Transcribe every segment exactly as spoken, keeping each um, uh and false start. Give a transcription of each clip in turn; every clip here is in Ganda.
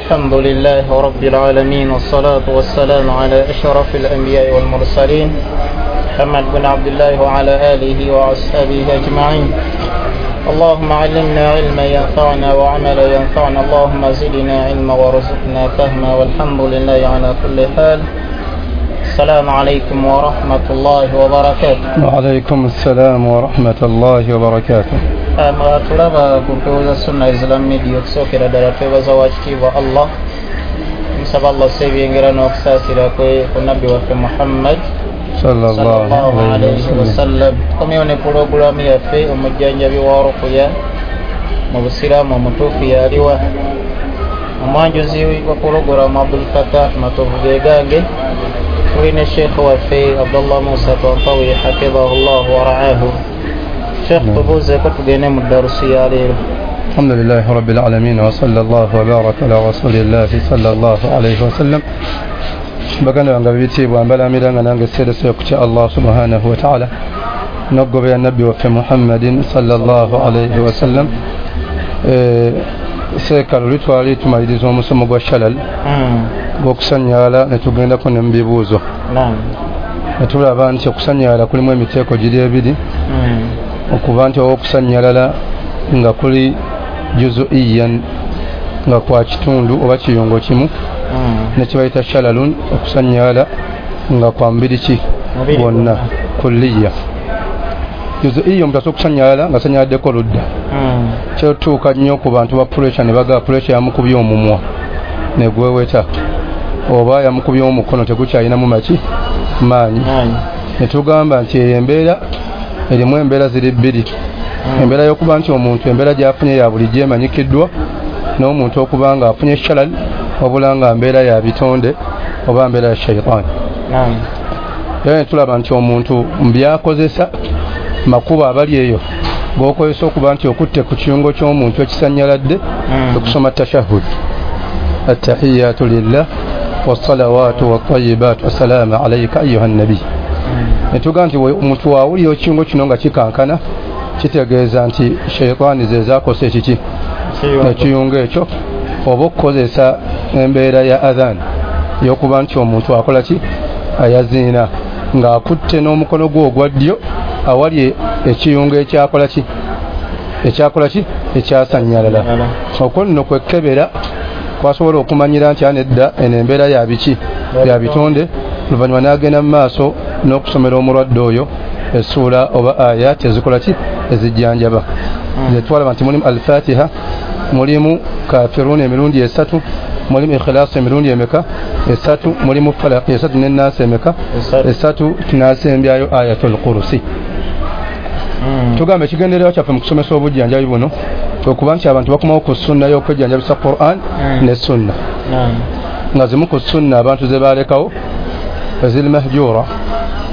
الحمد لله رب العالمين والصلاة والسلام على أشرف الأنبياء والمرسلين محمد بن عبد الله وعلى آله وأصحابه أجمعين. اللهم علمنا علما ينفعنا وعملا ينفعنا، اللهم زدنا علما وارزقنا فهما، والحمد لله على كل حال. السلام عليكم ورحمة الله وبركاته. وعليكم السلام ورحمة الله وبركاته. Tulaba ku mpewo za Sunna Islam Media okusookera ddala twebaza wakitiibwa Allah, nsaba Allah sebyengera n'okusaasira kwe ku nabbi waffe Muhammad sallallahu alayhi wasallam. Tukomyewo ne pulogulaamu yaffe omujjanjabi wa ruqya mu busiraamu omutuufu yaliwa. Omwanjuzi wa pulogulaamu Abdul Fattah Matovu Gegange, tuli ne Sheikh waffe Abdullah Musa Tontawi hafidhahullah wa ra'ahu. Sheikh, tubuuzeeko tugende mu darusi ya leero. Alhamdulillahi rabbil alamin wa sallallahu wa baraka ala rasulillahi sallallahu alayhi wasallam. Baganda bange bitiibwa mbalamira nga nange seerese okutya Allah subhanahu wa ta'ala n'okugobera nabbi waffe Muhammadin sallallahu alayhi wasallam. Seeka luli twali tumaliriza omusomo gwa shalal gw'okusanyala ne tugendako ne mu bibuuzo. Ne tulaba nti okusanyala kulimu emiteeko giri ebiri, okuba nti okusanyalala nga kuli juzuiyan nga kwa kitundu oba kiyungo kimu nekibayita shalalun, okusanyala nga kwa mubiri ki gwonna kulliya. Juzuiya omuntu asobola okusanyala nga sanyaladdeko ludda, kyetuuka nnyo ku bantu ba puresha ne bagaa puresha yamukubye omumwa ne gweweta oba yamukubye omukono tegukyalinamu maki maanyi. Ne tugamba nti eyo embeera erimu embeera ziri bbiri, embeera y'okuba nti omuntu embeera gy'afunye ya bulijjo emanyikiddwa n'omuntu okuba nga afunye shalal wabula nga mbeera ya bitonde oba mbeera ya shaitaani. Era ne tulaba nti omuntu mu by'akozesa makubo abali eyo g'okozesa okuba nti okutte ku kiyungo ky'omuntu ekisanyaladde okusoma tashahhud, attahiyatu lillah wassalawatu wattayibat wassalaamu alayka ayuha nabi. Ne tugamba nti omuntu waawulira ekiyungo kino nga kikankana kitegeeza nti shaitaani ze zaakosa ekiki ekiyungo ekyo, oba okukozesa embeera ya adhan y'okuba nti omuntu akola ki ayaziina ng'akutte n'omukono gwe ogwa ddyo awali ekiyungo ekyakola ki ekyakola ki ekyasanyalala. Okwo nno kwekebera kwasobola okumanyira nti anedda eno embeera ya biki ya bitonde, oluvannyuma n'agenda mu maaso n'okusomera omulwadde oyo essuula oba ayat ezikola ki ezijjanjaba. Ze twalaba nti mulimu Alfatiha, mulimu Kafirun emirundi esatu, mulimu Ikhlasi emirundi emeka esatu, mulimu Falaq esatu ne Naasi emeka esatu, tunasembyayo Ayatul Kursi. Tugamba ekigendererwa kyaffe mu kusomesa obujjanjabi buno okuba nti abantu bakomawo ku sunna y'okwejjanjabisa Quran ne sunna, nga zimu ku sunna abantu ze baalekawo eziri mahjura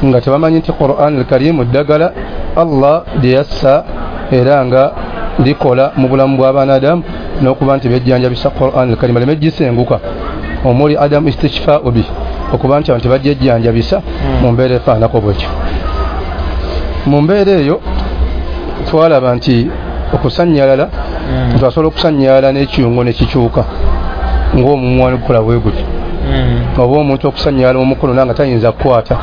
nga tebamanyi nti Quran al-Karim ddagala Allah lyeyassa era nga likola mu bulamu bw'abaana n'okuba nti bejjanjabisa Quran al-Karim aleme gisenguka, omuli adamu istishfa'u bi, okuba nti abantu bajjejjanjabisa mu mbeera efaanako bwekyo. Mu mbeera eyo twalaba nti okusanyalala omuntu asobola okusanyalala n'ekiyungo ne kikyuka ng'omumwa gukola bwe guti, oba omuntu okusanyalala omukono nanga tayinza kukwata,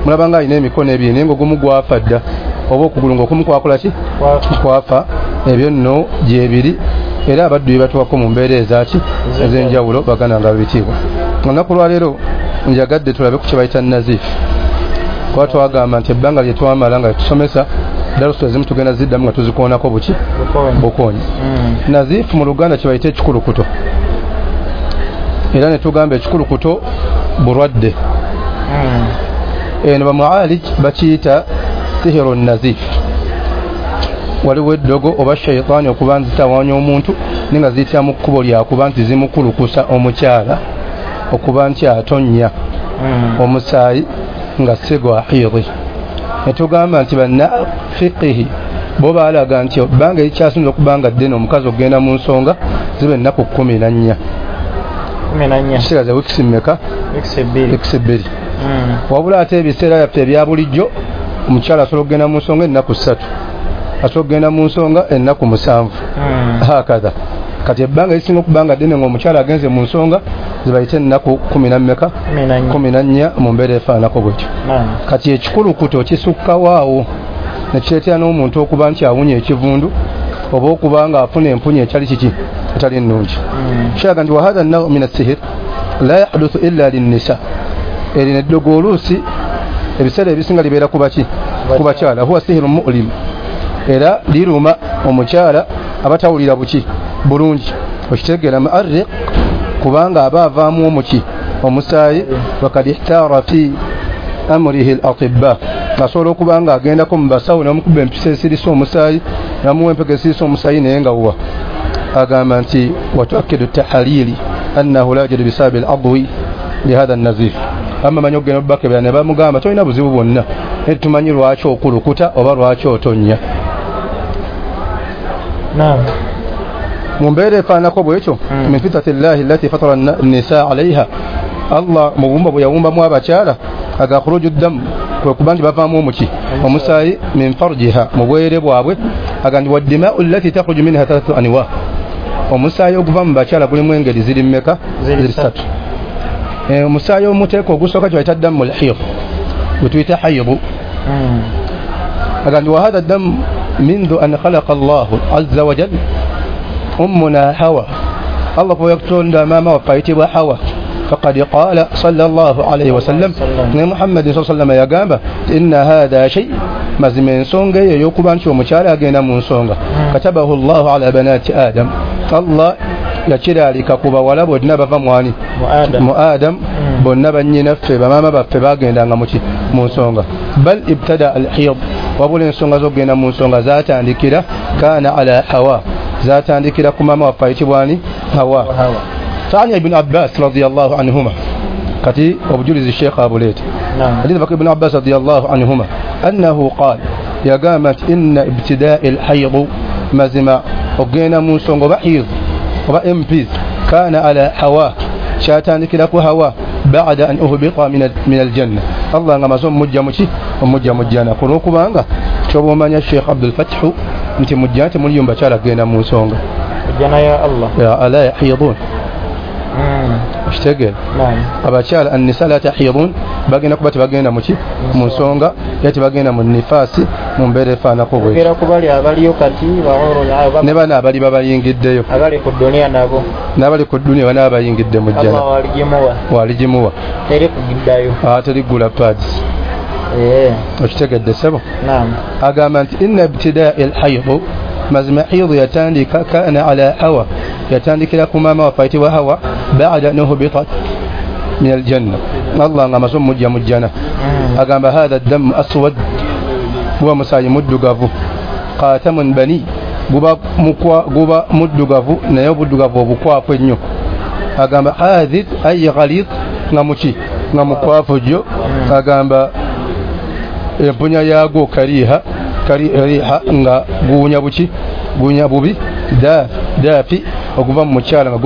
mulaba nga alina emikono ebiri naye ng'ogumu gwafa dda oba okugulu ng'okumu kwakola ki kwafa. Ebyo nno gyebiri era abaddu bye batuwako mu mbeera ezaaki ez'enjawulo baganda nga bitiibwa. Olunaku lwaleero njagadde tulabe ku kye bayita nazifu, kuba twagamba nti ebbanga lye twamala nga tusomesa darusu ezimu tugenda ziddamu nga tuzikoonako buki bukoonyi. Nazifu mu Luganda kye bayita ekikulukuto, era ne tugamba ekikulukuto bulwadde. Eno bamualij bakiyita sihiru nazif, waliwo eddogo oba shaitaani okuba nzitawaanya omuntu naye nga ziyitira mu kkubo lyakuba nti zimukulukusa omukyala okuba nti atonnya omusaayi nga si gwa hiidi. Ne tugamba nti banna fiqihi bo baalaga nti ebbanga erikyasinza okuba nga ddene omukazi okugenda mu nsonga ziba ennaku kkumi na nnya, kitegeeza wiikisi mmeka? Wiikisi bbiri. Wabula ate ebiseera byaffe ebya bulijjo omukyala asobola okugenda mu nsonga ennaku ssatu, asobola okugenda mu nsonga ennaku musanvu hakadha. Kati ebbanga lisinga okuba nga ddene ng'omukyala agenze mu nsonga zibayite ennaku kumi na mmeka kumi na nnya mu mbeera efaananako bwetyo. Kati ekikulukuto kisukkawo awo ne kireetera n'omuntu okuba nti awunya ekivundu oba okuba nga afuna empunya etali kiki etali nnungi. Kiraga nti wahatha naw min assihir la yahduthu illa linnisa, erino eddogo oluusi ebiseera ebisinga libeera ku baki ku bakyala. Huwa sihiru mu'lim, era liruma omukyala abatawulira buki bulungi, okitegeera mu'arriq, kubanga aba avaamu omuki omusaayi. Wakad ihtara fi amrihi al-atibba, asobola okuba nga agendako mu basawo namukuba empisa esirisa omusaayi namuwa empeke esirisa omusaayi naye nga wa agamba nti watuakidu tahalili annahu la yajidu bisababi al-adwi lihadha an-nazif. Amma manyi okugenda obubakebera ne bamugamba tolina buzibu bwonna, naye tumanyi lwaki okulukuta oba lwaki otonnya. Mu mbeera efaananako bwekyo min fitrati llahi allati fatara nnisaa alaiha, Allah mu bubumba bwe yawumbamu abakyala aga khuruju ddamu, kwe kuba nti bavaamu omuki omusaayi min farjiha, mu bwere bwabwe. Aga nti waddimau allati takhruju minha thalathatu anwa, omusaayi oguva mu bakyala gulimu engeri ziri mmeka? Ziri ssatu. Omusaayi omuteeko ogusooka kye bayita ddamu lhid, gwe tuyita hayidu. Aga nti wahadha ddamu mindhu an khalaqa Allahu azza wa jalla ummuna Hawa, Allah bwe yakutonda maama waffe ayitibwa Hawa. Faqad qala sallallahu alayhi wasallam, ne Muhammad sallallahu alayhi wasallam yagamba inna hadha shay, mazima ensonga eyo ey'okuba nti omukyala agenda mu nsonga katabahu Allahu ala banati Adam, Allah yakiraalika ku bawala bonna bava mwani mu Adam, bonna bannyinaffe bamaama baffe bagendanga muki mu nsonga. Bal ibtada al-hiyad, wabula ensonga z'okugenda mu nsonga zaatandikira kana ala Hawa, zaatandikira ku maama waffe ayitibwa ani? Hawa. Fani Ibn Abbas radiyallahu anhuma, kati obujulizi Sheikh abuleeta hadith baka Ibn Abbas radiyallahu anhuma annahu qala, yagamba nti inna ibtida'i al-hayd, mazima okugenda mu nsonga oba hiyad oba M Ps kana ala Hawa, kyatandikira ku Hawa ba'da an uhbita min aljanna, Allah nga amaze omujja muki omujja mu jjana. Ku lw'okubanga kyoba omanya Sheikh Abdul Fathu nti mu jjana temuliyo bakyala kugenda mu nsonga, jjana ya Allah ya ala yahidun, okitegeera abakyala annisa la tahidun, bagenda kuba tebagenda muki mu nsonga, era tebagenda mu nifaasi mu mbeera efaananako bwetyo. Ne bano abali babayingiddeyo abali ku duniya nabo n'abali ku duniya bano abayingidde mu jjana waligimuwa teri kugiddayo, teri kugula pads. Okitegedde ssebo? Agamba nti inna ibtida'i al-hayd, mazima hayd yatandika kana ala Hawa, yatandikira ku maama waffe ayitibwa Hawa ba'da an uhbitat min aljanna, Allah nga amaze omujja mu jjana. Agamba hatha ddamu aswad, guba musaayi muddugavu, qatamun bani, guba mukwa guba muddugavu naye obuddugavu obukwafu ennyo. Agamba hadhid ay ghalid, nga muki nga mukwafu jjo. Agamba empunya yaagwo kariha kariha, nga guwunya buki guwunya bubi, dafi okuva mu mukyala nga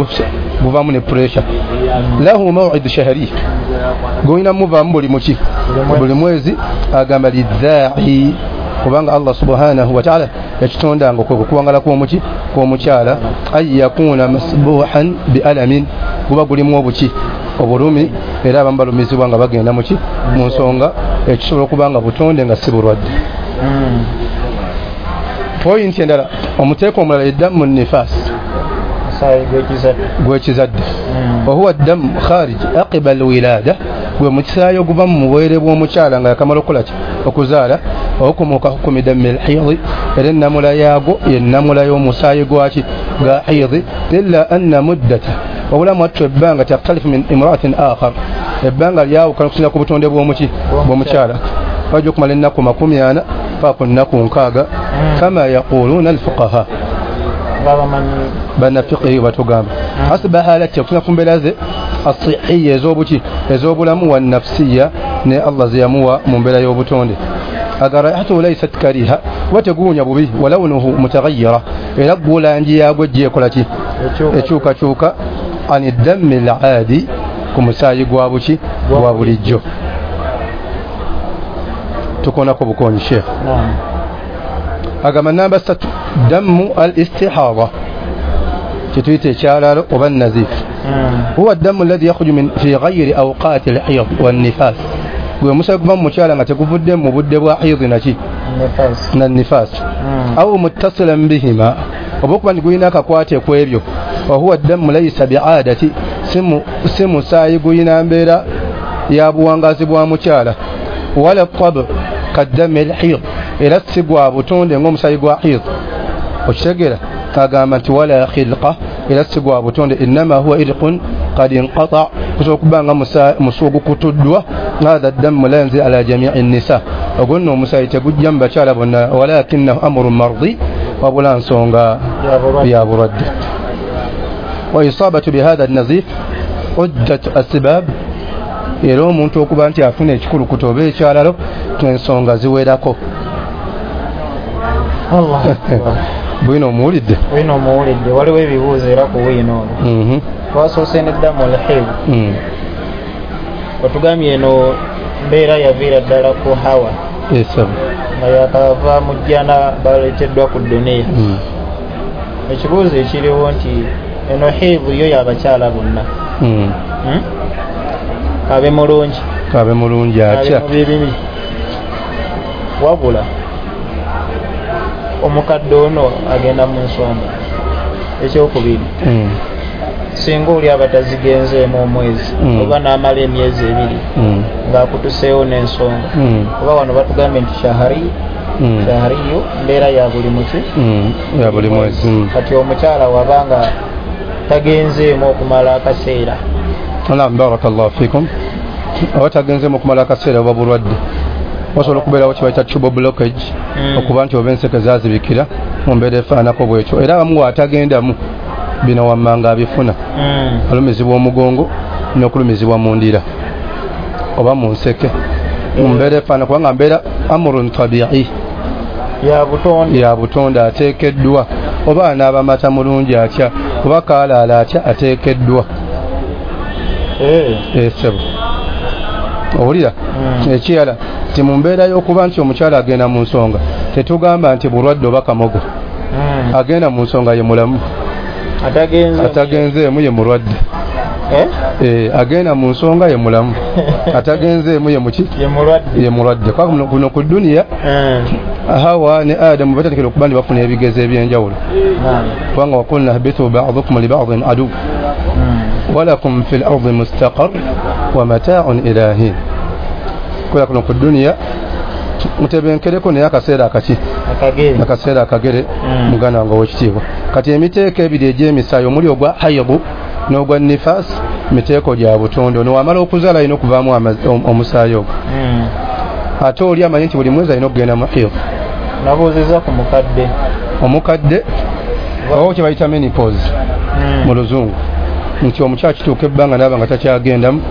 guvaamu ne pressure. Lahu maw'idu shahri, gulina muvaamu buli muki buli mwezi. Agamba lidha'i, kubanga Allah subhanahu wa ta'ala yakitondanga okwo kuwangala kw'omuki kw'omukyala, ay yakuna masbuhan bi alamin, guba gulimu obuki obulumi, era abamu balumizibwa nga bagenda muki mu nsonga, ekisobola okuba nga butonde nga si bulwadde. Pointi endala, omuteeko omulala eddamu nifaasi gw'ekizadde, wahuwa ddamu kharij aqiba alwilada, gwe musaayi oguva mu bwere bw'omukyala nga yakamala okukola ki okuzaala, okumuka hukumi dammi alhiyadi, era ennamula yaagwo yennamula y'omusaayi gwaki ga hiyadi. Illa anna muddata, wabula mwattu ebbanga takhtalifu min imraatin akhar, ebbanga lyawukana okusinziira ku butonde bw'omuki bw'omukyala, bajja okumala ennaku makumi ana paka ku nnaku nkaaga, kama yaquluuna alfuqaha, bannafiqihi batugamba hasiba halati, okusinziira ku mbeera ze asihiya ez'obuki ez'obulamu, wa nafsiya, ne Allah ze yamuwa mu mbeera y'obutonde. Aga raihatuhu laysat kariha, kuba teguwunya bubi, walawnuhu mutaghayyira, era gwo langi yaagwo ejja ekola ki ekyukakyuka, ani dammi al-aadi, ku musaayi gwa buki gwa bulijjo. Tukonako bukonyi Sheikh. Agamba namba ssatu, dammu al-istihada, Kyetuyita ekyalalo oba nazif. Huwa ddamu alladhi yakhruju min fi ghayri awqati al-hayd wan-nifas. Gwe omusaayi guva mu mukyala nga teguvudde mu budde bwa hayd naki na nifas. Aw muttasilan bihima, oba okuba nti gulina akakwate ku ebyo. Wa huwa ddamu laysa bi'adati, si musaayi gulina mbeera ya buwangazi bwa mukyala. Wala tab kaddami al-hayd, era si gwa butonde ng'omusaayi gwa hayd. Okitegeera? Agamba nti wala khilqa, era si gwa butonde, innama huwa irqun qad inqata, kusobola okuba nga musu ogukutuddwa. Hadha ddamu la yanzil ala jami'i nnisa, ogwo nno omusaayi tegujja mu bakyala bonna, walakinahu amrun mardi, wabula nsonga ya bulwadde. Wa isabatu bihadha an-nazif uddat asbab, era omuntu okuba nti afuna ekikulukuto oba ekyalalo ensonga ziwerako. Allah akbar. Bwino omuwulidde? Bwino omuwulidde. Waliwo ebibuuzo era ku bwino ono. Twasoose neddamu al-hayd. Otugambye eno mbeera yaviira ddala ku Hawa nga yakava mu jjana baleeteddwa ku duniya. Ekibuuzo ekiriwo nti eno hayd yo y'abakyala bonna, kabe mulungi kabe mulungi atya, kabe mubibi, wabula omukadde ono agenda mu nsonga. Ekyokubiri, singa oli aba tazigenzeemu omwezi oba n'amala emyezi ebiri ng'akutuseewo n'ensonga, oba wano batugambye nti shahari shahariyo mbeera ya buli muki ya buli mwezi. Kati omukyala wabanga tagenzeemu okumala akaseera. Naam, barakallahu fikum. Oba tagenzeemu okumala akaseera oba bulwadde, wasobola okubeerawo kye bayita tubal blockage, okuba nti oba enseke zaazibikira mu mbeera efaanako bwetyo. Era abamu bw'atagendamu bino wammanga abifuna, alumizibwa omugongo n'okulumizibwa mu ndira oba mu nseke mu mbeera efaana, kubanga mbeera amrun tabi'i, ya butonde, ateekeddwa. Oba anaaba mata mulungi atya, oba kaalaala atya, ateekeddwa. Esebo owulira? Ekirala nti mu mbeera y'okuba nti omukyala agenda mu nsonga, tetugamba nti bulwadde oba kamogo. Agenda mu nsonga ye mulamu, atagenzeemu ye mulwadde. Agenda mu nsonga ye mulamu, atagenzeemu ye muki ye mulwadde. Kuno ku duniya Hawa ne Adamu batandikira okuba nti bafuna ebigezo ebyenjawulo, kubanga wakulna ihbitu ba'dukum li ba'din adu walakum fil ardi mustaqar wa mata'un ila hin. Kubera kuno ku duniya mutebenkereko naye akaseera akaki akaseera akagere, muganda wange ow'ekitiibwa. Kati emiteeko ebiri egy'emisaayi omuli ogwa hayidu n'ogwa nifas, miteeko gya butonde. Ono wamala okuzaala alina okuvaamu omusaayi ogwo, ate oli amanyi nti buli mwezi alina okugenda mu haid. Nabuuzizza ku mukadde. Omukadde oba kye bayita menopause mu luzungu, nti omukyala kituuka ebbanga n'aba nga takyagendamu.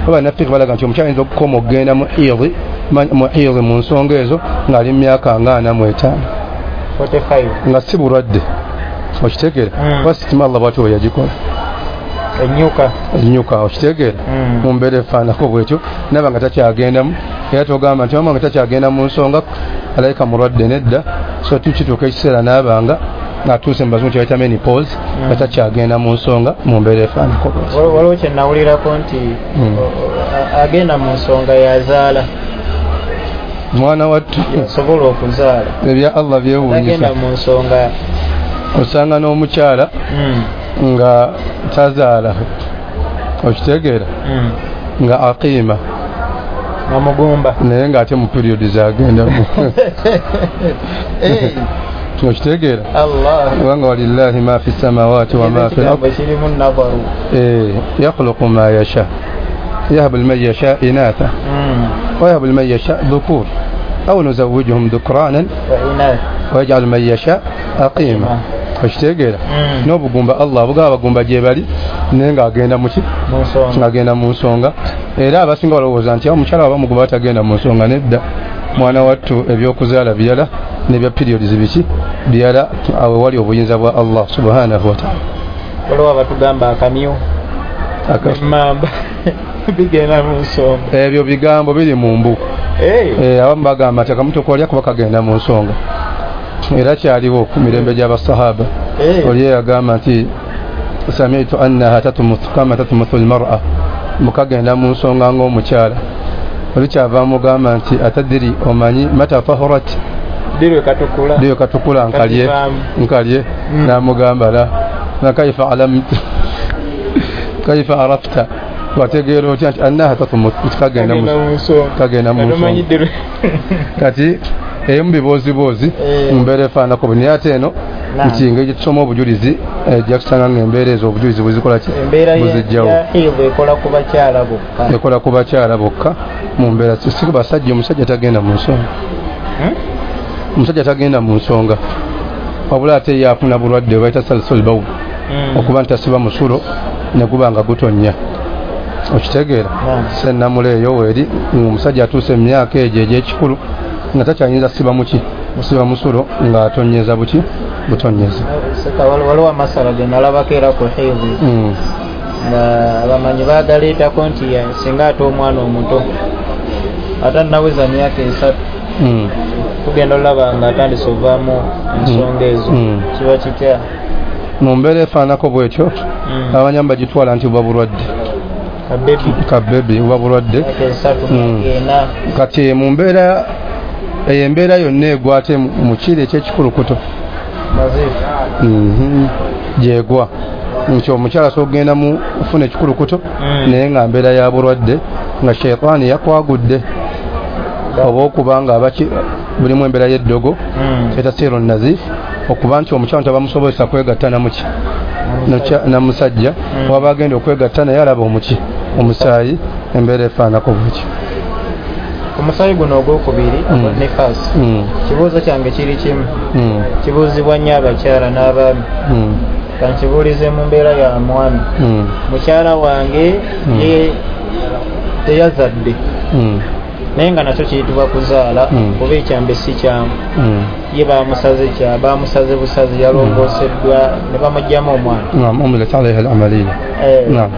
Oba naffe balaga nti omukyala ayinza okukoma okugenda mu haid mu haid mu nsonga ezo ng'ali mu myaka nga ana mu etaano, nga si bulwadde. Okitegeera? Kuba sitima Allah bw'atyo bwe yagikola, ennyuka ennyuka. Okitegeera? Mu mbeera efaanako bwetyo n'aba nga takyagendamu. Era togamba nti mama nga takyagenda mu nsonga alayika mulwadde, nedda. So tukituuka ekiseera n'aba nga ng'atuuse mu bazungu kye bayita menopause, nga takyagenda mu nsonga mu mbeera efaanako bwetyo. Waliwo kye nawulirako nti agenda mu nsonga yazaala mwana wattu, yasobola okuzaala. Ebya Allah byewuunyisa. Agenda mu nsonga osanga n'omukyala nga tazaala, okitegeera, nga aqiima nga mugumba, naye ng'ate mu period zagendamu. Okitegeera? Kubanga walillahi ma fi samawati wa ma fi al-ard, yakhluqu ma yasha, yahabu liman yasha inatha wa yahabu liman yasha dhukur aw nuzawwijuhum dhukranan wa yaj'alu man yasha aqima. Okitegeera? N'obugumba Allah bugaba abagumba gye bali, naye ng'agenda muki ng'agenda mu nsonga. Era abasinga balowooza nti omukyala waba mugumba tagenda mu nsonga. Nedda, mwana wattu ebyokuzaala birala n'ebya periods biki birala, awo wali obuyinza bwa Allah subhanahu wa ta'ala. Waliwo abatugamba akamyu emmamba bigenda mu nsonga. Ebyo bigambo biri mu mbu. Abamu bagamba nti akamuto kolya kuba kagenda mu nsonga. Era kyaliwo ku mirembe gy'abasahaba. Oli yagamba nti Sami'tu annaha tatmuthu kama tatmuthu almar'a, mukagenda mu nsonga ng'omukyala. Oli kyava mugamba nti atadiri, omanyi mata tahurat, dirwe katukula, dirwe katukula nkalye nkalye. Namugamba la na kaifa alamtu kaifa arafta, wategeera otya nti annaha tatmuthu, kagenda mu kagenda mu nsonga. Kati eyo mu bibooziboozi mu mbeera efaananako bwe, naye ate eno nti engeri gye tusoma obujulizi ejja kusanga ng'embeera ezo obujulizi bwezikola ki, buzijjawo. Ekola ku bakyala bokka, ekola ku bakyala bokka mu mbeera si basajja. Omusajja tagenda mu nsonga, omusajja tagenda mu nsonga, wabula ate ye afuna bulwadde bayita salsul bawl, okuba nti tasiba musulo ne guba nga gutonnya. Okitegeera? Sennamula eyo weeri ng'omusajja atuuse emyaka egyo egy'ekikulu nga takyayinza siba muki, siba musulo ng'atonyeza buki, butonyeza. Waliwo amasala ge nalabako era ku hidhi nga abamanyi baagaleetako nti singa ate omwana omuto atannaweza myaka esatu tugenda olaba nga atandise ovaamu ensonga ezo, kiba kitya? Mu mbeera efaananako bwetyo abamanyi bagitwala nti buba bulwadde, kabebi buba bulwadde. Kati mu mbeera eyo embeera yonna egwa ate mu kiro eky'ekikulukuto gyegwa nti omukyala asobola okugenda mu kufuna ekikulukuto naye nga mbeera ya bulwadde nga sheitaani yakwagudde, oba okuba nga abaki bulimu embeera y'eddogo etasiiru nazif, okuba nti omukyala nti abamusobozesa kwegatta namuki na musajja, waba agenda okwegatta naye alaba omuki omusaayi, embeera efaananako bwekyo. Omusaayi guno ogwokubiri nifas, kibuuzo kyange kiri kimu, kibuuzibwa nnyo abakyala n'abaami. Kankibuulize mu mbeera ya mwami. Mukyala wange ye teyazadde, naye nga nakyo kiyitibwa kuzaala, kuba ekyambe si kyangu. Ye bamusaze kya bamusaze busazi, yalongooseddwa ne bamuggyamu omwana. Naam, umilat alayha al-amaliya. Naam.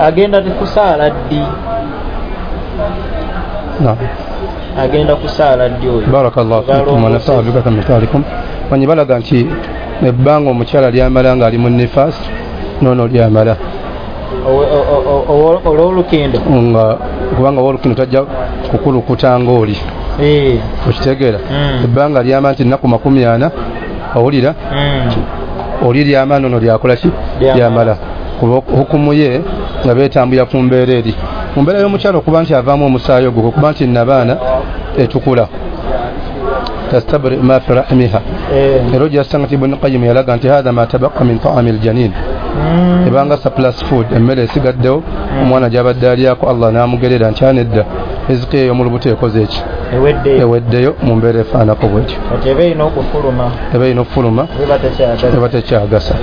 Agenda kusaala ddi? Naam. Agenda kusaala ddi oyo? Barakallahu fiikum wa nafa'a bika kamithalikum. Manyi balaga nti ebbanga omukyala lyamala ng'ali mu nifas noono lyamala olw'olukindo, nga kubanga ow'olukindo tajja kukulukuta ng'oli, okitegeera? Ebbanga lyamala nti nnaku makumi ana, owulira oli lyamala noono lyakola ki, lyamala. Kuba hukumu ye nga beetambulira ku mbeera eri. Mu mbeera y'omukyala okuba nti avaamu omusaayi ogwo, okuba nti nnabaana etukula tastabri ma fi rahmiha. Era ojja nti Ibn Qayyim yalaga nti hadha ma tabaqa min ta'ami aljanin, ebanga surplus food, emmere esigaddewo omwana gy'abadde alyako, Allah n'amugerera nti anedda riziki eyo mu lubuto ekoze eki, eweddeyo mu mbeera efaananako bwetyo. Eba erina okufuluma, eba erina okufuluma, eba tekyagasa.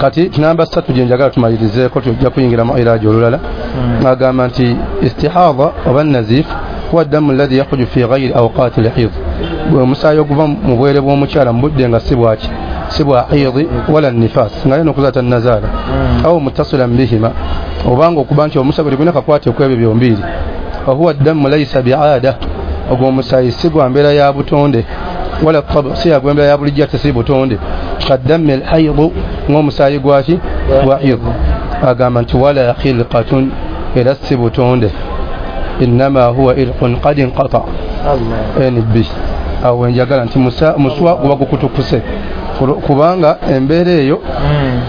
Kati namba ssatu gye njagala tumalirizeeko, tujja kuyingira mu iraaji olulala. Agamba nti istihadha oba nazif huwa ddamu alladhi yakhruju fi ghayri awqati alhidh, omusaayi oguva mu bwere bw'omukyala mu budde nga si bwaki, si bwa hidhi wala nifas, nga yena okuzaala tannazaala, aw muttasilan bihima, obanga okuba nti omusaayi tegulina kakwate ku ebyo byombiiri. Wahuwa ddamu laysa bi'aada, ogwo omusaayi si gwa mbeera ya butonde, wala tab si ya gwembeera ya bulijjo ate si butonde, kaddami alhaidu, ng'omusaayi gwaki, gwa hidhi. Agamba nti wala khilqatun, era si butonde, innama huwa irqun qad inqata. Nb awo njagala nti muswa guba gukutukuse, kubanga embeera eyo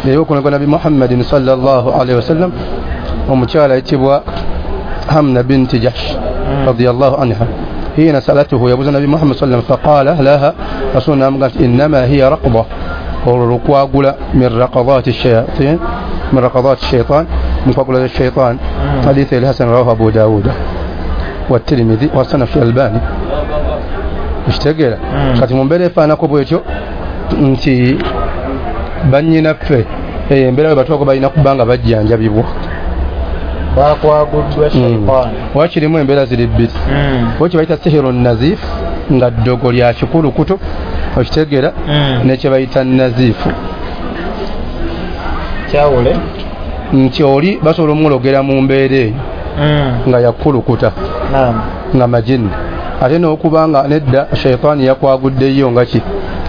ey'okunagwa Nabi Muhammadin sallallahu alaihi wasallam, omukyala ayitibwa Hamna binti Jahsh radiyallahu anha hina salatuhu, yabuuza Nabi Muhammad sallam faqala laha, rasul n'amugamba nti innama hiya raqda, olwo lukwagula min raqadati shayatin, min raqadati shaitan, mukwagula shaitan. Hadithi al-Hasan rawahu Abu Dawud wa Tirmidhi wa sanad fi Albani. Okitegeera? Kati mu mbeera efaananako bwetyo nti bannyinaffe eyo embeera bwe batuuka balina kuba nga bajjanjabibwa, bakwaguddwa shaitan. Wakirimu embeera ziri bbiri, oba kye bayita sihiru nazif nga ddogo lya kikulukuto, okitegeera, nekye bayita nazifu kyawule nti oli basobola omulogera mu mbeera eyo nga yakulukuta nga majini, ate n'okuba nga nedda shaitaani yakwaguddeyo nga ki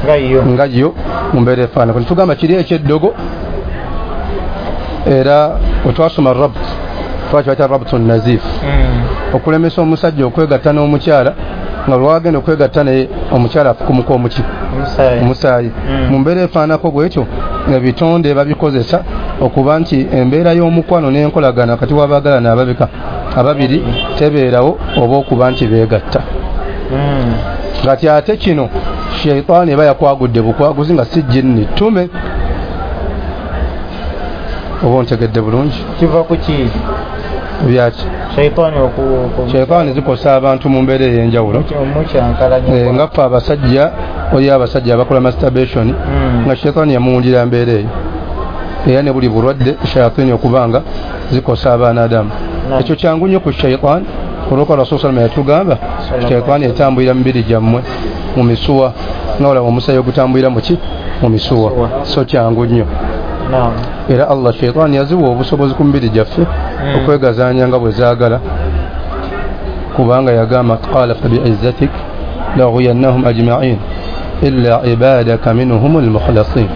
Nga yo mu mbeera efaanako. Tugamba kiri ekyeddogo, era wetwasoma rabt twakibayita rabtu nazif, okulemesa omusajja okwegatta n'omukyala nga lwagenda okwegatta naye omukyala afukumuka omuki omusaayi. Mu mbeera efaanako bwetyo ebitonde babikozesa okuba nti embeera y'omukwano n'enkolagana wakati w'abaagalana ababika ababiri tebeerawo oba okuba nti beegatta. Kati ate kino sheitaani eba yakwagudde bukwaguzi nga si jinni ttume. Oba ontegedde bulungi? Kiva ku ki? Byaki? Sheitaani oku sheitaani zikosa abantu mu mbeera ey'enjawulo nga ffe abasajja, oli abasajja abakola masturbation nga sheitaani yamuwundira mbeera eyo, era ne buli bulwadde shayatini okubanga zikosa abaana Adamu. Ekyo kyangu nnyo ku sheitaani, olwokuba Rasuulu sallallahu alayhi wasallam yatugamba sheitaani etambulira mu mibiri gyammwe mu misuwa, nga olaba omusaayi ogutambulira mu ki? Mu misuwa. So kyangu nnyo. Era Allah sheitaani yaziwa obusobozi ku mibiri gyaffe okwegazaanya nga bwe zaagala, kubanga yagamba qala fabi'izzatik laghwiyannahum ajma'in illa ibadaka minhumul mukhlasin.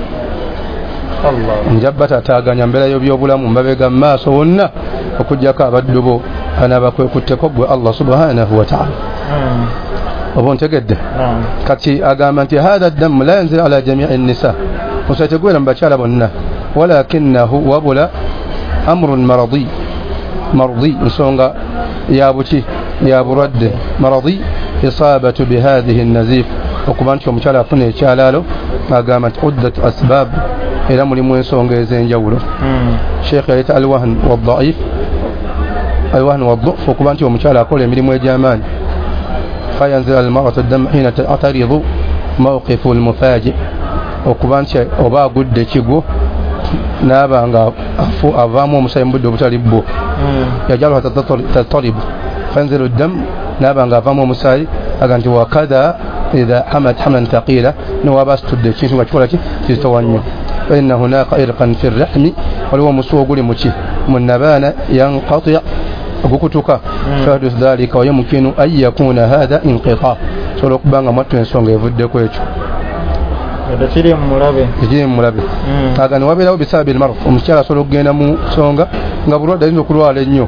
Nja batataaganya mbeera y'ebyobulamu mbabega mu maaso wonna okuggyako abaddu bo anaabakwekutteko gwe Allah subhanahu wa ta'ala. Oba ontegedde? Kati agamba nti hatha ddamu la yanzil ala jamii nnisa, omusaayi tegubeera mu bakyala bonna, walakinahu wabula amrun maradi, maradi nsonga ya buki ya bulwadde, maradi isabatu bihadhihi nazif, okuba nti omukyala afuna ekyalaalo. Agamba nti uddat asbab, era mulimu ensonga ez'enjawulo. Sheikh yaleeta alwahn waddaif, alwahn wadduf, okuba nti omukyala akola emirimu egy'amaanyi. Fayanzila almaratu ddamu hina ta'taridu mawqifu almufaji, okuba nti oba agudde ekigwo n'aba nga avaamu omusaayi mu budde obutali bwo, yajaluha tattaribu fayanzilu ddamu, n'aba nga avaamu omusaayi. Aga nti wakadha idha hamat hamlan thaqila, newaba asitudde ekintu nga kikola ki kizitowa nnyo. Fainna hunaka irqan fi rrahmi, waliwo omusuwa oguli muki mu nabaana yanqati, ogukutuka. Fayahduthu dhalika wayumkinu an yakuna hatha inqita, sobola okuba nga mwattu ensonga evuddeko ekyo tekiri mulabe, tekiri mulabe. Aga ne wabeerawo bisababi lmarad, omukyala asobola okugenda mu nsonga nga bulwadde ayinza okulwala ennyo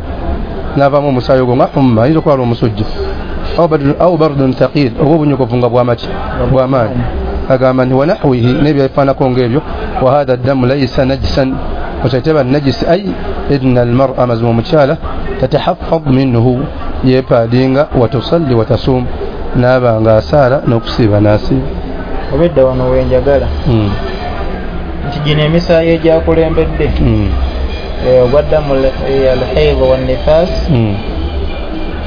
n'avaamu omusaayi ogwo nga humma, ayinza okulwala omusujja au bardun thaqil, oba obunyogovu nga bwamaki bw'amaanyi. Agamba nti wanahwihi, n'ebyefaanako ng'ebyo. Wa hatha ddamu laisa najisan, okyateba najisi ay inna almar'a, mazima omukyala tatahaffad minhu, yeepaadinga, watusalli watasum, n'aba nga asaala n'okusiiba n'asiiba. Obedda wano wenjagala nti gino emisaayi egyakulembedde ogwa ddamu alhaid wannifas,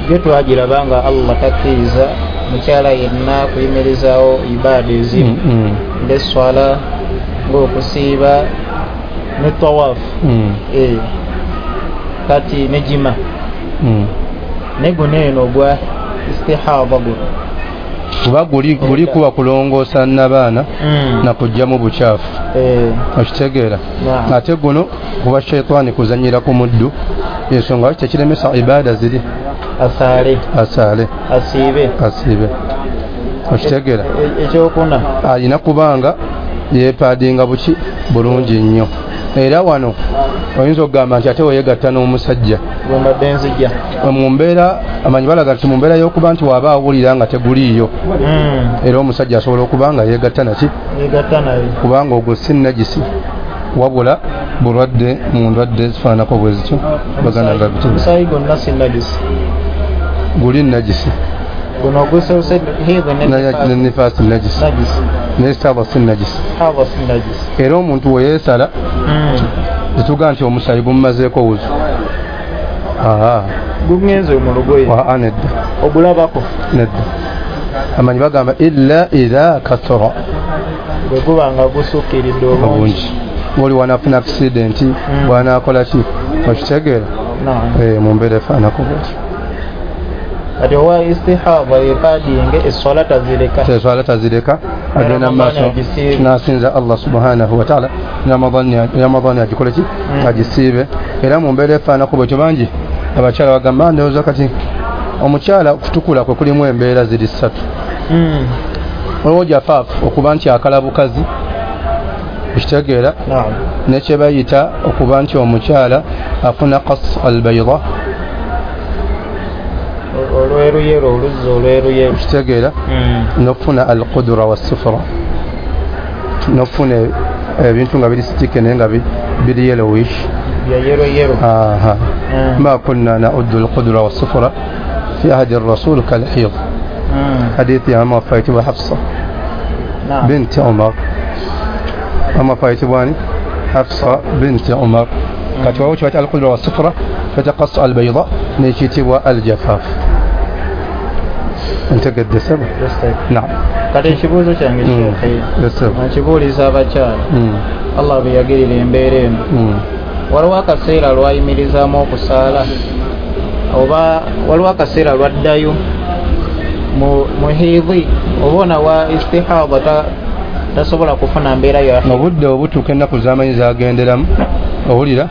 gyo twagiraba nga Allah takkiriza mukyala yenna kuyimirizaawo ibaada ezimu ng'esswala, ng'okusiiba ne tawaafu, kati ne jima. Ne guno eno ogwa istihada guno kuba guli guli kuba kulongoosa nabaana na kuggyamu bukyafu, okitegeera. Ate guno kuba sheitaani kuzannyira ku muddu, ensonga lwaki tekiremesa ibaada ziri asaale asaale asiibe asiibe, okitegeera. Ekyokuna alina kubanga yeepaadinga buki bulungi nnyo. Era wano oyinza okugamba nti ate weyegatta n'omusajja mbadde nzijja mu mbeera, amanyi balaga nti mu mbeera y'okuba nti waba awulira nga teguliiyo, era omusajja asobola okuba nga yeegatta naki yeegatta naye, kubanga ogwo si najisi wabula bulwadde mu ndwadde zifaananako bwe zityo. Baganda nga bityo omusaayi gwonna si najisi, guli najisi guno ogusoose ne nifaasi najisi, naye sitaaba si najisi. Era omuntu we yeesala tetugaa nti omusaayi gumumazeeko wuzu, gugenze mu lugoye, nedda, ogulabako nedda. Amanyi bagamba illa idha kathura, bwe guba nga gusukkiridde obungi, oli wanafuna accident bw'anaakola ki, okitegeera mu mbeera efaananako bwetyo. Kati owa istihada yepaadinge esswala tazireka, esswala tazireka, agenda maaso n'asinza Allah subhanahu wa ta'ala, Ramadhani agikole ki agisiibe. Era mu mbeera efaananako bwetyo bangi abakyala bagamba ndowooza kati omukyala okutukula kwe kulimu embeera ziri ssatu. Waliwo jafaafu okuba nti akala bukazi, okitegeera, nekyebayita okuba nti omukyala afuna qas albayda, olweruyeru, oluzzi olweruyeru, okitegeera, n'okufuna alqudra wassufra, n'okufuna ebintu nga biri sitike naye nga biri yellowish, bya yero yero. Aha, ma kunna na'uddu alqudra wassufra fi ahdi ar-rasul kalhid. Hadithi ya mama faitibwa Hafsa binti Umar, mama faitibwa ni Hafsa binti Umar. Kati waliwo kibayita alqudra wassufra, fataqas albayda, nekiyitibwa aljafaf. Ntegedde sebo? Naam. Kati ekibuuzo kyange Sheikh, nkibuuliza abakyala, Allah bwe yagirira embeera eno, waliwo akaseera lwayimirizaamu okusaala oba waliwo akaseera lwaddayo mu hidhi, oba ona wa istihada tasobola kufuna mbeera ya obudde obutuuka ennaku z'amanyi zagenderamu, owulira,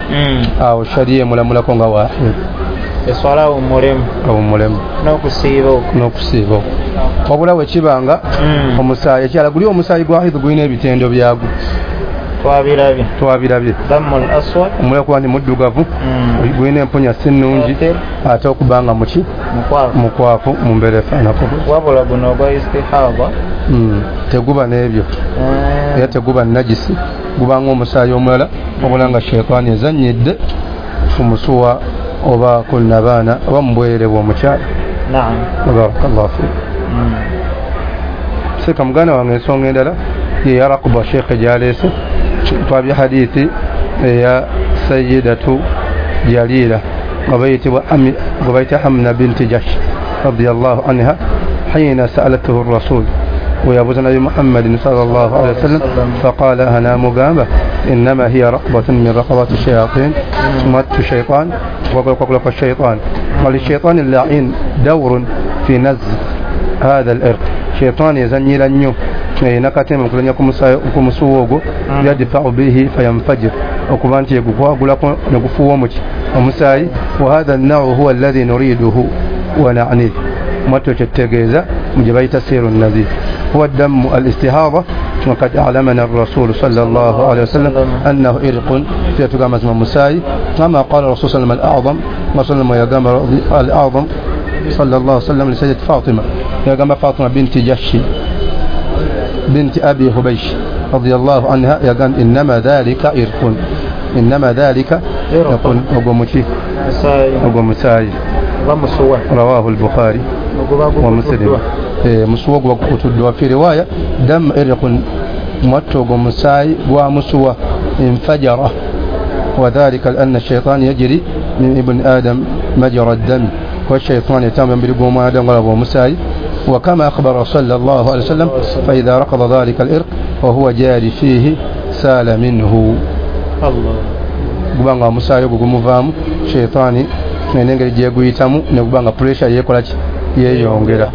awo shariya emulamulako nga wahid, eswala awummulemu, awummulemu n'okusiiba okwo, n'okusiiba okwo. Wabula bwe kibanga omusaayi ekyala guli omusaayi gwa hidhi gulina ebitendo byagwo, twabirabye, twabirabye dammul aswad, omulala kuba nti muddugavu, gulina empunya si nnungi, ate okuba nga muki mukwafu mu mbeera efaanako. Wabula guno ogwa istihada teguba n'ebyo, era teguba najisi, gubanga omusaayi omulala, wabula nga sheitaani ezannyidde ku musuwa oba ku nabaana oba mu bwerere bw'omukyala. Naam, barakallahu fiik. Seeka muganda wange, ensonga endala yeya rakuba sheekhe gyaleese, twabye hadithi eya sayidatu Jalila nga bayitibwa nga bayita Hamna binti Jahsh radiyallahu anha, hina sa'alatuhu rasul, weyabuuza Nabi Muhammadin sallallahu alaihi wasallam, faqala ana mugamba innama hiya raqbatun min raqabati shayatin, mattu shaytan wa shaytan, walishaytan al-la'in dawrun fi nazg hadha al-irq, shaytan yazanyira nnyo erina katemba mukulanya ku musuwa ogwo, yadfa'u bihi fayanfajir, okuba nti egukwagulako ne gufuuwa omuki omusaayi. Wa hadha an-naw'u huwa alladhi nuriduhu wa na'nihi, mwattu kyetutegeeza mu gye bayita seeru nazif, huwa damu al-istihada, وقد أعلمنا الرسول صلى الله عليه وسلم أنه إرق في تقام مساي، كما قال الرسول صلى الله عليه وسلم الأعظم، وصلى يقام الأعظم صلى الله عليه وسلم لسيدة فاطمة، يقام فاطمة بنت جحش بنت أبي هبيش رضي الله عنها، يقام إنما ذلك إرق، إنما ذلك إرق ومساي، رواه البخاري ومسلم. musuwa gwa kutuddwa. Fi riwaya dam irqun, mwattu ogwo musaayi gwa musuwa, infajara, wadhalika lianna shaitan yajri min ibni adam majra ddami, kuba shaitaani etambula mubiri gw'omwana adamu galaba omusaayi. Wakama akhbara sallallahu alaihi wasallam faidha rakada dhalika alirq wahuwa jari fihi sala minhu, guba nga omusaayi ogwo gumuvaamu, shaitaani n'engeri gyeguyitamu neguba nga pressure yeekola ki, yeeyongera.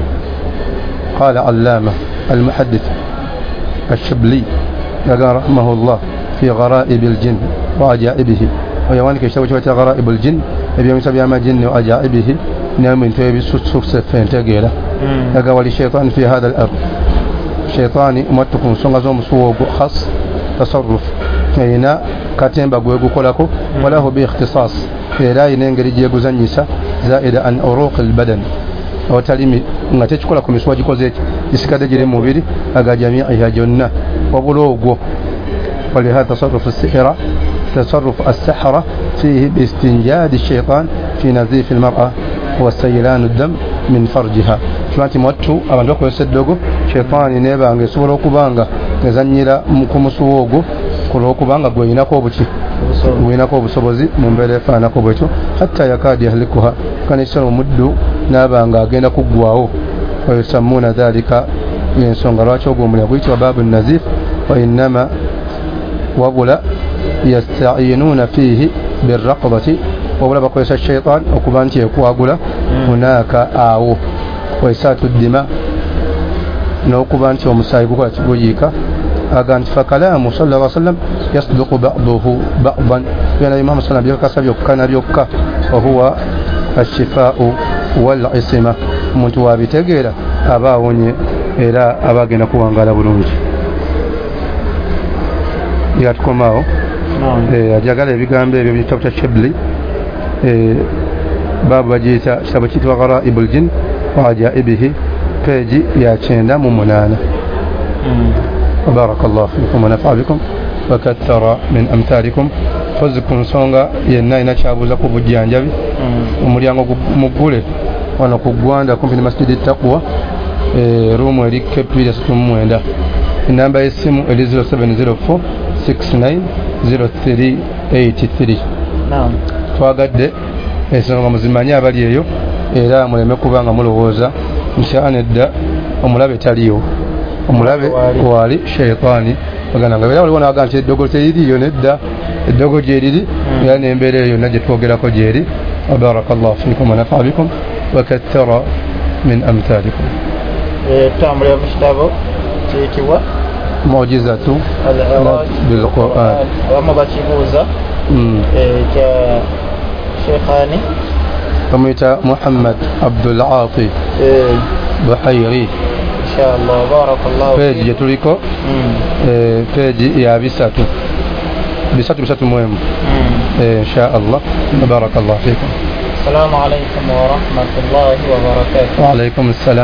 قال علامة المحدث الشبلي رحمه الله في غرائب الجن وعجائبه، ويوانك يشتوي شوية غرائب الجن يبيون سبيا ما جن وعجائبه نعم انتو يبسوس سفين تقيلة لقى الشيطان في هذا الأرض، شيطاني متكون سنغزوم سوق خاص تصرف هنا كاتين بقويقو كولاكو وله باختصاص لا ينقل يجيقو زنيسة زائد عن أروق البدن awatali nga tekikola ku misuwa gikoze eki gisigadde giri mu mubiri aga jamiiha gyonna, wabula ogwo. Walihadha tasarrufu sihira tasarrufu assahara fihi biistinjadi shaitan fi nazifi almar'a wa saylanu dam min farjiha, kiba nti mwattu abantu bakozesa eddogo, shaitaani nebanga esobola okubanga ezannyira ku musuwa ogwo ku lw'okubanga gweyinako obuki gweyinako obusobozi mu mbeera efaanako bwetyo, hatta yakadi yahlikuha, kanekisala omuddu n'abanga agenda kuggwawo. Wayusammuuna dhalika, ensonga lwaki ogwo omulya guyitibwa baabu nazif, wa innama wabula yasta'iinuuna fiihi birraqabati, wabula bakozesa shaitan okuba nti ekwagula hunaka awo, waisaatu ddima, n'okuba nti omusaayi gukola kiguyiika. Aga nti fakalaamu sallallahu alaihi wasallam yasduqu ba'duhu ba'dan, Nabi Muhammad sallam byakakasa byokka na byokka, wahuwa ashifaau wal isima, omuntu wabitegeera aba awonye Era aba agenda kuwangaala bulungi. Yatukomaawo ajagala ebigambo ebyo mu kitabo kya Shibli, baabu bagiyita kitabo kiyitibwa Gharaibul Jinn wa Ajaibihi, peegi ya kyenda mu munaana. Barakallahu fikum wa nafa'a bikum wa kathara min amthalikum. Mpozi ku nsonga yenna alina kyabuuza ku bujjanjabi, omulyango muggule wano ku Ggwanda kumpi ne Masjidi Taqwa, ruumu eri K P asatu mu mwenda. Enamba y'essimu eri zero seven zero four six nine zero three eight three. Twagadde ensonga muzimanye abali eyo, era muleme kuba nga mulowooza nti nedda omulabe taliyo, omulabe waali sheitaani baganda nga era waliwo n'agamba nti eddogo teririiyo, nedda eddogo gyeriri, era n'embeera eyo yonna gye twogerako gyeri. Barakallahu fikum wa nafa'a bikum wa kathara min amthalikum. Tutambulira mu kitabo kiyitibwa Mu'jizatu bil Qur'an, abamu bakibuuza kya Sheikhani bamuyita Muhammad Abdul Ati Buhairi. Inshallah barakallahu. Peji gye tuliko peji ya bisatu bisatu bisatu muhimu. Inshallah barakallahu fikum. Assalamu alaykum wa rahmatullahi wa barakatuh. Wa alaykum assalam.